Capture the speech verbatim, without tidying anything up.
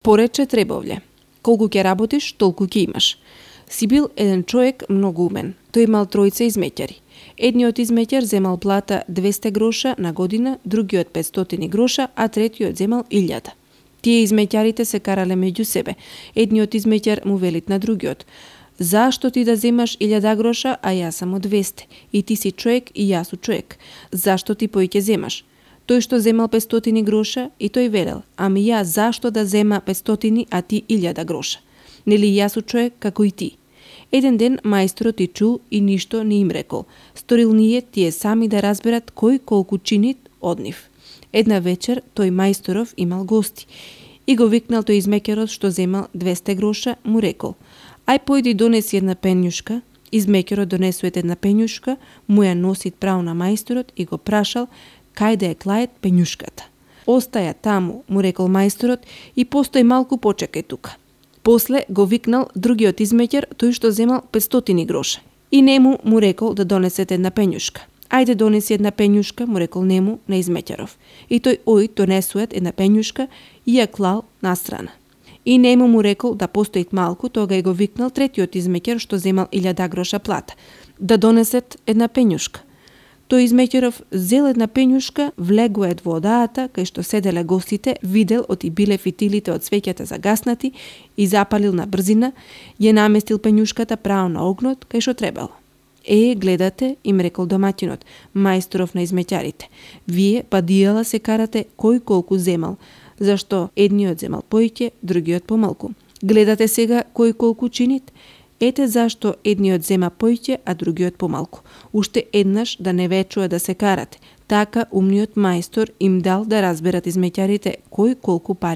Порече Требовле. Колку ќе работиш, толку ќе имаш. Си бил еден човек многу умен. Тој имал тројца измеќари. Едниот измеќар земал плата двесте гроша на година, другиот петстотини гроша, а третиот земал илјада. Тие измеќарите се карале меѓу себе. Едниот измеќар му велит на другиот: "Зашто ти да земаш илјада гроша, а јас само двесте? И ти си човек и јас су човек. Зашто ти поиќе земаш?" Тој што земал петстотини гроша и тој велел: "Ами јас зашто да зема петстотини, а ти илјада гроша? Нели јас су човек како и ти?" Еден ден мајсторот и чул и ништо не им рекол. Сторил ние тие сами да разберат кој колку чини од нив. Една вечер тој мајсторов имал гости и го викнал тој измеќарот што земал двесте гроша, му рекол: "Ај појди донеси една пењушка." Измеќарот донесует една пењушка, му ја носи право на мајсторот и го прашал кај да е клает пењушката. "Остаја таму," му рекол мајсторот, "и постои малку почекај тука." После го викнал другиот измеќар, тој што земал петстотини гроша. И нему му рекол да донесет една пењушка. "Ајде донеси една пењушка," му рекол нему на измеќаров. И тој ој донесует една пењушка и ја клал настрана. И нему му рекол да постоит малку, тога и го викнал третиот измеќар што земал илјада гроша плата, да донесет една пењушка. Тој измеќаров зел една пењушка, влегует во одаата кај што седеле гостите, видел оти биле фитилите од свеќата загаснати и запалил на брзина, ја наместил пењушката право на огнот кај што требало. "Е, гледате," им рекол домаќинот, мајсторов на измеќарите, "вие падијала се карате кој колку земал, зашто едниот земал поиќе, другиот помалку. Гледате сега кој колку чинит? Ете зашто едниот зема поиќе, а другиот помалку. Уште еднаш да не вечува да се карате." Така умниот мајстор им дал да разберат измеќарите кој колку пари